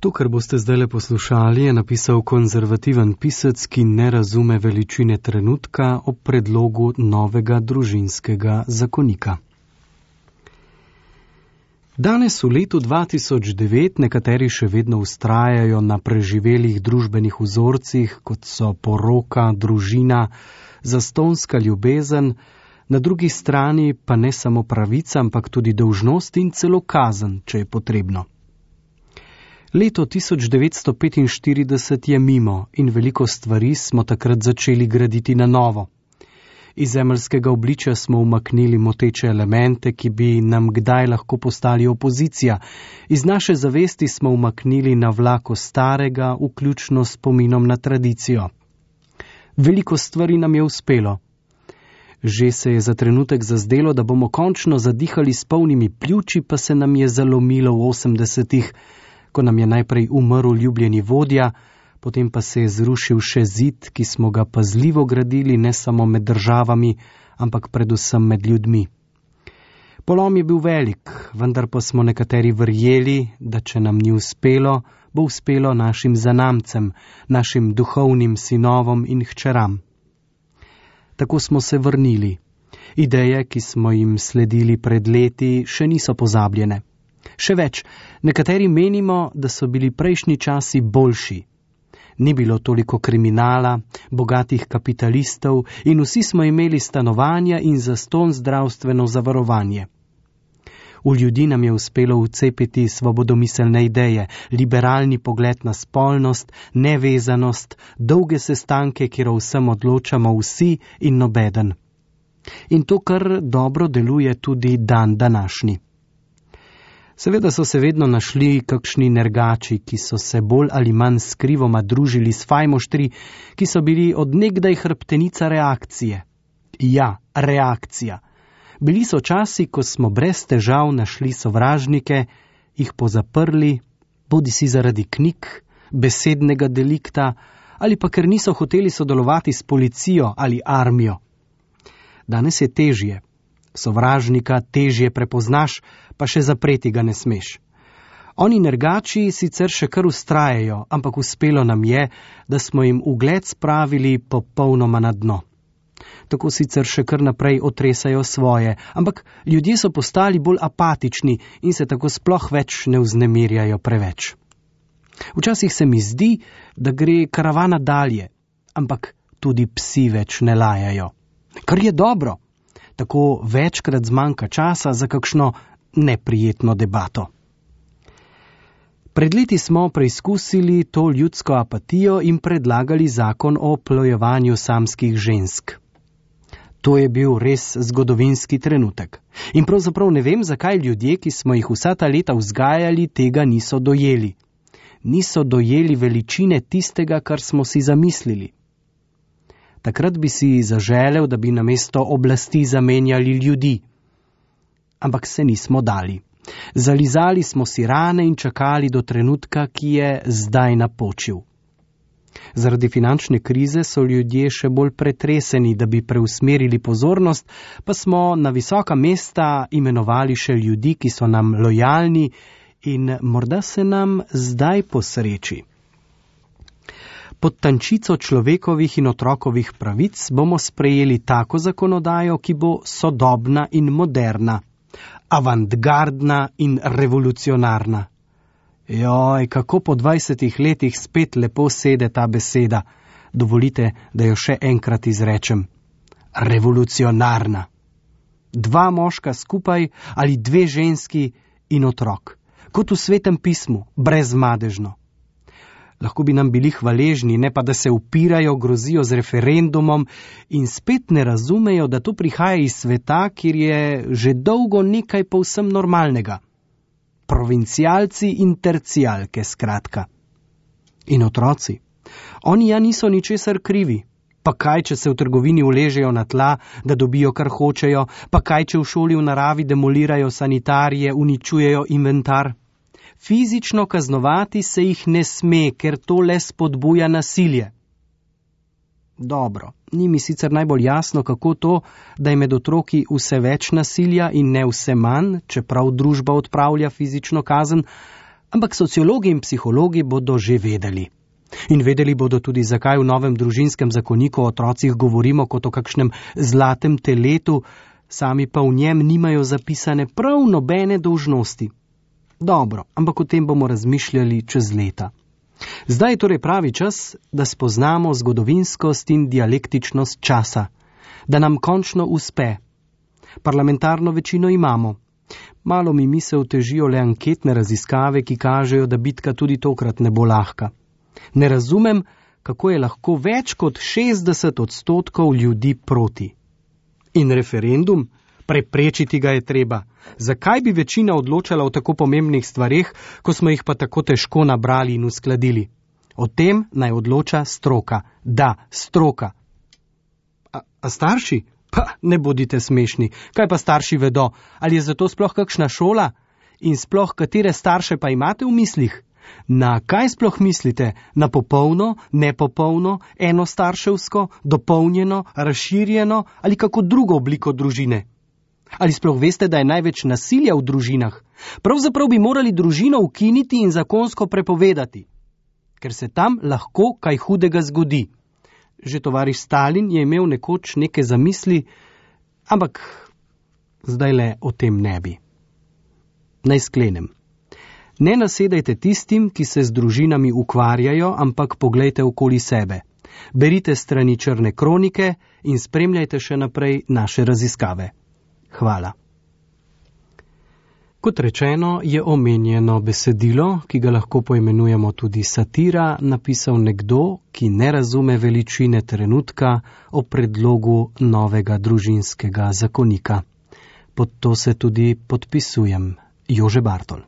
To, kar boste zdajle poslušali, je napisal konzervativen pisec, ki ne razume veličine trenutka ob predlogu novega družinskega zakonika. Danes v letu 2009 nekateri še vedno vztrajajo na preživelih družbenih vzorcih, kot so poroka, družina, zastonjska ljubezen, na drugi strani pa ne samo pravica, ampak tudi dolžnost in celo kazen, če je potrebno. Leto 1945 je mimo in veliko stvari smo takrat začeli graditi na novo. Iz zemeljskega obličja smo umaknili moteče elemente, ki bi nam kdaj lahko postali opozicija. Iz naše zavesti smo umaknili navlako starega, vključno s spominom na tradicijo. Veliko stvari nam je uspelo. Že se je za trenutek zazdelo, da bomo končno zadihali s polnimi pljuči, pa se nam je zalomilo v 80-ih, ko nam je najprej umrl ljubljeni vodja, potem pa se je zrušil še zid, ki smo ga pazljivo gradili ne samo med državami, ampak predvsem med ljudmi. Polom je bil velik, vendar pa smo nekateri verjeli, da če nam ni uspelo, bo uspelo našim zanamcem, našim duhovnim sinovom in hčeram. Tako smo se vrnili. Ideje, ki smo jim sledili pred leti, še niso pozabljene. Še več, nekateri menimo, da so bili prejšnji časi boljši. Ni bilo toliko kriminala, bogatih kapitalistov in vsi smo imeli stanovanja in zastonj zdravstveno zavarovanje. V ljudi nam je uspelo vcepiti svobodomiselne ideje, liberalni pogled na spolnost, nevezanost, dolge sestanke, kjer o vsem odločamo vsi in nobeden. In to kar dobro deluje tudi dan današnji. Seveda so se vedno našli kakšni nergači, ki so se bolj ali manj skrivoma družili s fajmoštri, ki so bili od nekdaj hrbtenica reakcije. Ja, reakcija. Bili so časi, ko smo brez težav našli sovražnike, jih pozaprli, bodisi zaradi knjig, besednega delikta, ali pa ker niso hoteli sodelovati s policijo ali armijo. Danes je težje. Sovražnika težje prepoznaš, pa še zapreti ga ne smeš. Oni nergači sicer še kar vztrajajo, ampak uspelo nam je, da smo jim ugled spravili popolnoma na dno. Tako sicer še kar naprej otresajo svoje, ampak ljudje so postali bolj apatični in se tako sploh več ne vznemirjajo preveč. Včasih se mi zdi, da gre karavana dalje, ampak tudi psi več ne lajajo. Kar je dobro. Tako večkrat zmanjka časa za kakšno neprijetno debato. Pred leti smo preizkusili to ljudsko apatijo in predlagali zakon o oplojevanju samskih žensk. To je bil res zgodovinski trenutek. In pravzaprav ne vem, zakaj ljudje, ki smo jih vsa ta leta vzgajali, tega niso dojeli. Niso dojeli veličine tistega, kar smo si zamislili. Takrat bi si zaželel, da bi namesto oblasti zamenjali ljudi. Ampak se nismo dali. Zalizali smo si rane in čakali do trenutka, ki je zdaj napočil. Zaradi finančne krize so ljudje še bolj pretreseni, da bi preusmerili pozornost, pa smo na visoka mesta imenovali še ljudi, ki so nam lojalni in morda se nam zdaj posreči. Pod tančico človekovih in otrokovih pravic bomo sprejeli tako zakonodajo, ki bo sodobna in moderna, avantgardna in revolucionarna. Joj, kako po 20 letih spet lepo sede ta beseda. Dovolite, da jo še enkrat izrečem. Revolucionarna. 2 moška skupaj ali 2 ženski in otrok. Kot v Svetem pismu, brezmadežno. Lahko bi nam bili hvaležni, ne pa da se upirajo, grozijo z referendumom in spet ne razumejo, da to prihaja iz sveta, kjer je že dolgo nekaj povsem normalnega. Provincialci in tercijalke, skratka. In otroci. Oni ja niso ničesar krivi. Pa kaj, če se v trgovini uležejo na tla, da dobijo, kar hočejo, pa kaj, če v šoli v naravi demolirajo sanitarije, uničujejo inventar. Fizično kaznovati se jih ne sme, ker to le spodbuja nasilje. Dobro, ni mi sicer najbolj jasno, kako to, da je med otroki vse več nasilja in ne vse manj, čeprav družba odpravlja fizično kazen, Ampak sociologi in psihologi bodo že vedeli. In vedeli bodo tudi, zakaj v novem družinskem zakoniku o otrocih govorimo kot o kakšnem zlatem teletu, sami pa v njem nimajo zapisane prav nobene dolžnosti. Dobro, ampak o tem bomo razmišljali čez leta. Zdaj je torej pravi čas, da spoznamo zgodovinskost in dialektičnost časa, da nam končno uspe. Parlamentarno večino imamo. Malo mi misel težijo le anketne raziskave, ki kažejo, da bitka tudi tokrat ne bo lahka. Ne razumem, kako je lahko več kot 60% ljudi proti. In referendum? Preprečiti ga je treba. Zakaj bi večina odločala o tako pomembnih stvareh, ko smo jih pa tako težko nabrali in uskladili? O tem naj odloča stroka. Da, stroka. A starši? Pa ne bodite smešni. Kaj pa starši vedo? Ali je zato sploh kakšna šola? In sploh katere starše pa imate v mislih? Na kaj sploh mislite? Na popolno, nepopolno, enostarševsko, dopolnjeno, razširjeno ali kako drugo obliko družine? Ali sploh veste, da je največ nasilja v družinah? Pravzaprav bi morali družino ukiniti in zakonsko prepovedati, ker se tam lahko kaj hudega zgodi. Že tovariš Stalin je imel nekoč neke zamisli, ampak zdaj le o tem ne bi. Naj sklenem. Ne nasedajte tistim, ki se z družinami ukvarjajo, ampak poglejte okoli sebe. Berite strani Črne kronike in spremljajte še naprej naše raziskave. Hvala. Kot rečeno, je omenjeno besedilo, ki ga lahko poimenujemo tudi satira, napisal nekdo, ki ne razume veličine trenutka o predlogu novega družinskega zakonika. Pod to se tudi podpisujem. Jože Bartol.